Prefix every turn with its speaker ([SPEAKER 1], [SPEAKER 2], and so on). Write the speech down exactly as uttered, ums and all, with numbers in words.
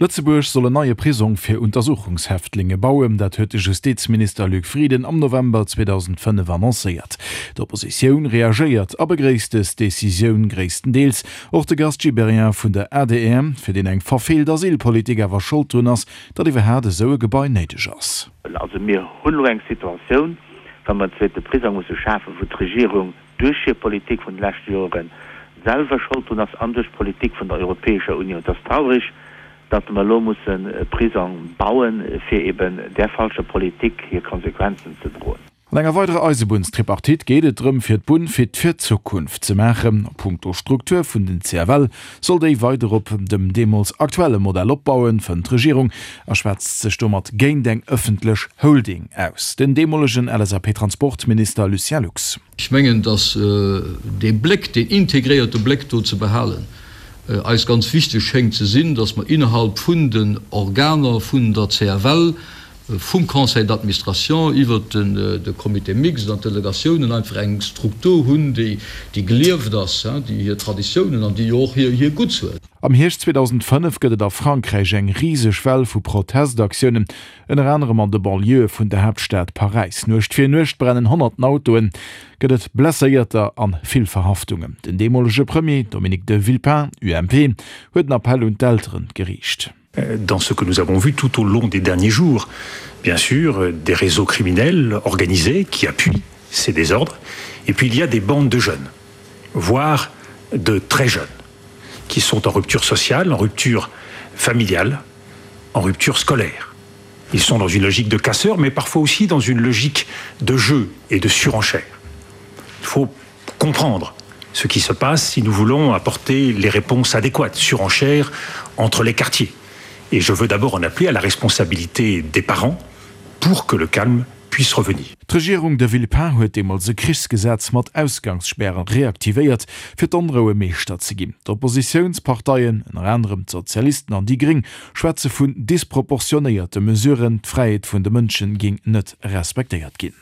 [SPEAKER 1] Lëtzebuerg soll en neie Prisong fir Untersuchungshäftlinge bauen, dat huet de Justizminister Luc Frieden am November zweedausendfënnef annoncéiert. D'Oppositioun reagéiert a begréisst dës Decisioun gréisstendeels. Och de Gast Gibéryen vun der adr, fir deen eng verfeelt Asylpolitik awer Schold drun ass, datt iwwerhaat esou e Gebai néideg ass.
[SPEAKER 2] Also mir hunn elo eng Situatioun, wa mer en zweete Prisong musse schafen, wou d'Regierung duerch hir Politik vun de leschte Jore selwer Schold drun ass an duerch d'Politik vun der Europäescher Unioun. Et ass traurig, datt mer elo mussen e Prisong bauen, fir eben där falscher Politik hir Konsequenzen ze droen.
[SPEAKER 1] An enger weiderer Eisebunnstripartite geet et drëm, fir d'Bunn fit fir d'Zukunft ze maachen. A punkto Struktur vun den C F L soll déi weider op dem deemools aktuelle Modell opbauen, fënnt d'Regierung a schwätzt sech domat géint eng ëffentlech Holding aus. Den deemolegen L S A P-Transportminister Lucien Lux.
[SPEAKER 3] Ech mengen, datt dee Bléck, deen integréierte Bléck do ze behalen, eis ganz wichteg schéngt ze sinn, datt mer innerhalb vun den Organer vun der C F L, vum Conseil d'administration iwwert de Comité mixte an d'Delegatiounen einfach eng Struktur hunn, déi gelieft ass, déi hir Traditiounen an déi jo och hir Gutts huet.
[SPEAKER 1] Am Hierscht zweedausendfënnef gëtt et a Frankräich eng riseg Well vu Protestaktiounen, ënner anerem an de Banlieuë vun der Haaptstad Paräis. Nuecht fir Nuecht brennen honnerten Autoen, gëtt et Blesséierter an vill Verhaftungen. Den deemolege Premier Dominique de Villepin, U M P, huet en Appell un d'Elteren geriicht.
[SPEAKER 4] Dans ce que nous avons vu tout au long des derniers jours, bien sûr des réseaux criminels organisés qui appuient ces désordres, et puis il y a des bandes de jeunes, voire de très jeunes, qui sont en rupture sociale, en rupture familiale, en rupture scolaire. Ils sont dans une logique de casseurs, mais parfois aussi dans une logique de jeu et de surenchère. Il faut comprendre ce qui se passe si nous voulons apporter les réponses adéquates, surenchère entre les quartiers. Et je veux d'abord en appeler à la responsabilité des parents pour que le calme puisse revenir.
[SPEAKER 1] D'Regierung de Villepin huet deemools e Krichsgesetz mat Ausgangsspäre reaktivéiert, fir d'Onroue Meeschter ze ginn. D'Oppositiounsparteien, ënner anerem d'Sozialisten an déi Gréng, schwätze vun disproportionéierte Mesuren, d'Fräiheet vun de Mënsche géing net respektéiert ginn.